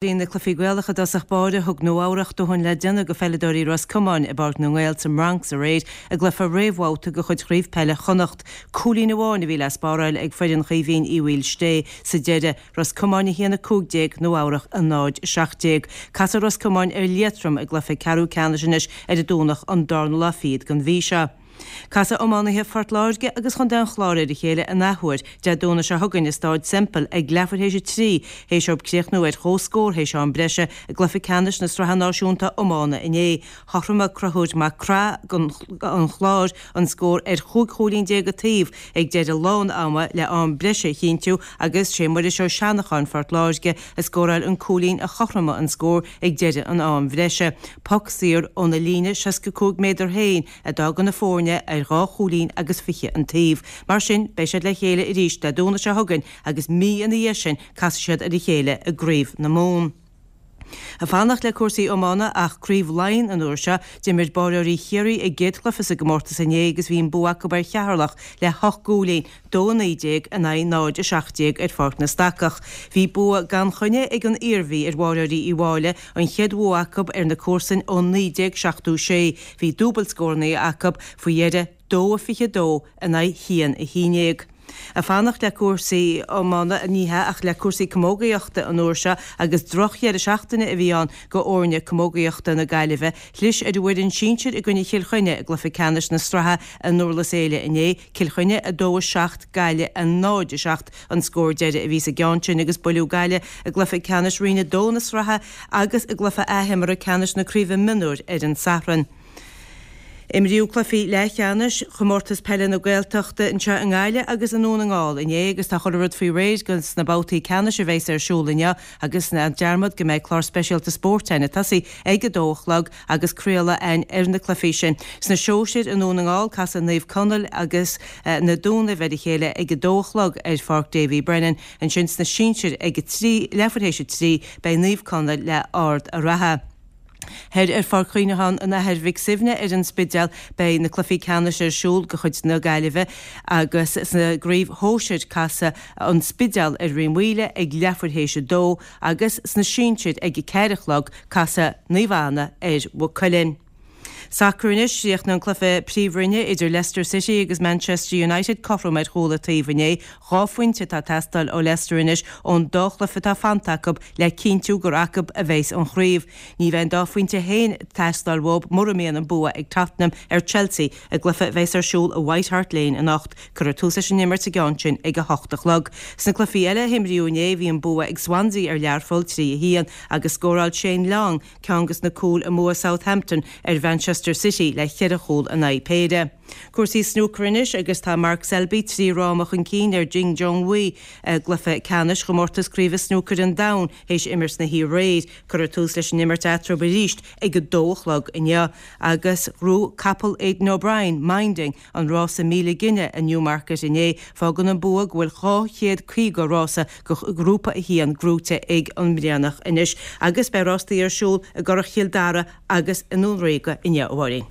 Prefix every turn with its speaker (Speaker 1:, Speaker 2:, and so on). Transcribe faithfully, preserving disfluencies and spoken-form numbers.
Speaker 1: Bhí na cluichí Gaelacha i dtosach báire, thug Nua Eabhrach dóthain le déanamh go pheileadóirí Ros Comáin i bPáirc na nGael sa mBronx aréir i gcluiche réamhbhabhta de chuid Chraobh Peile Chonnacht. Cúilín amháin a bhí le spáráil ag foireann Chaoimhín Uí Mhaoilsté sa deireadh, Ros Comáin a haon a cúig déag, Nua Eabhrach a náid a seacht déag. Casfaidh Ros Comáin ar Liatroim i gcluiche ceathrú ceannais anois ar an Domhnach an darna lá fichead den mhí seo. Casfaidh iománaithe Phort Láirge agus Chontae an Chláir ar a chéile an athuair Dé Domhnaigh seo chugainn i Stáid Semple ag leathuair théis a trí théis dóibh críochnú ar chomhscór théis am breise i gcluiche ceannais na Sraithe Náisiúnta Iomána inné. Chothromaigh Conchúr Mac Craith an Chláir an scór ar chúig chúilín déag an taobh ag deireadh lán ama le am breise a chinntiú agus sé Muiris Ó Seanacháin Phort Láirge a scóráil an cúilín a chothromaigh an scór ag deireadh an am bhreise. Poc saor óna líne seasca cúig méadar féin a d'fhág na foirne ar dhá chúilín agus fiche an taobh. Mar sin, beidh siad le chéile arís Dé Domhnaigh seo chugainn agus mí ina dhiaidh sin casfaidh siad ar a chéile i gCraobh na Mumhan. Ag fanacht le cúrsaí iomána ach Craobh Laighean an uair seo, d'imir báireoirí Chiarraí a gcéad chluiche sa gcomórtas inné agus bhí an bua acu ar Cheatharlach le hocht gcúilín, dó a naoi déag in aghaidh náid a seacht déag ar Pháirc na Stacach. Bhí bua gan choinne ag an Iarmhí ar bháireoirí Uí Mháille, an chéad bhua acu ar na comharsain ó naoi déag seachtó sé. Bhí dúbailt scóranna acu faoi dheireadh, dó a fiche dó in aghaidh haon a haon déag. Ag fanacht le cúrsaí iomána, ní hea, ach le cúrsaí camógaíochta an uair seo agus drochdheireadh seachtaine a bhí ann go fhoirne camógaíochta na Gaillimhe. Chlis ar an bhfoireann sinsir i gcoinne Chill Chainnigh i gcluiche ceannais na sraithe i nDurlas Éile inné, Cill Chainnigh a dó a seacht, Gaillimh a náid a seacht an scór deiridh a bhí sa gceann sin agus buaileadh Gaillimh i gcluiche ceannais Roinn a dó na sraithe agus i gcluiche athimeartha ceannais na Craoibhe Mionúir ar an Satharn. Imríodh cluichí leathcheannais Chomórtas Peile na Gaeltachta anseo i nGaillimh agus i nDún na nGall inné agus tá chuile rud faoi réir dos na babhtaí ceannais a bheas ar siúl inniu agus ná dearmad go mbeidh clár speisialta spóirt againn ag tosaí ag a dó a chlog agus craoladh againn ar na cluichí sin. Sna sóisir i nDún na nGall casfaidh Naomh Conaill agus Na Dúnaibh ar a chéile ag a dó a chlog ar Pháirc Davy Brennan. Ansin sna sinsir ag a trí, leathuair théis a trí, beidh Naomh Conaill le Ard a' Ratha. Thoir ar Pháirc Chuimhneacháin an Athar Mhic Suibhne ar an Spidéal beidh na cluichí ceannais ar siúl de chuid na Gaillimhe agus sa gcraobh shóisir casfaidh an Spidéal ar Rinn Mhaoile ag leathuair théis a dó agus sna sinsir ag a ceathair a chlog casfaidh Naomh Anna ar Mhaigh Cuilinn. Sacar anois, Chríochnaigh an cluiche Príomhroinne idir Leicester City agus Manchester United cothrom ar chúl an taobh inné. Dhá phointe atá ag teastáil ó Leicester anois ón dá chluiche atá fanta acu le cinntiú gur acu a bheas an chraobh. Ní bheidh an dá phointe féin ag teastáil uathu mura mbíonn an bua ag Tottenham ar Chelsea i gcluiche a bheas ar siúl i White Hart Lane anocht. Cuirfear tús leis an imirt sa gceann sin ag a hocht a chlog. Sna cluichí eile a himríodh inné bhí an bua ag Swansea ar Learpholl, trí a haon, agus scóráil Shane Long ceann des na cúil i mbua Southampton ar Mhanchester City le ceithre chúl in aghaidh péire. Cúrsaí snúcair anois agus tá Mark Selby trí fhráma chun cinn ar Ding Junhui i gcluiche ceannais chomórtas craoibhe snúcair an domhain théis imirt na hoíche aréir. Cuirfear tús leis an imirt eatarthu arís ag a dó a chlog inniu agus ghnóthaigh capall Aidan O'Brien, Minding, an rása míle gine i Newmarket inné. Fágann an bua go bhfuil dhá chéad caoga rása de Ghrúpa a haon gnóite ag an mBrianach anois agus beidh rástaí ar siúl i gCurrach Chill Dara agus i nDún Ríoga inniu, a Mháirín.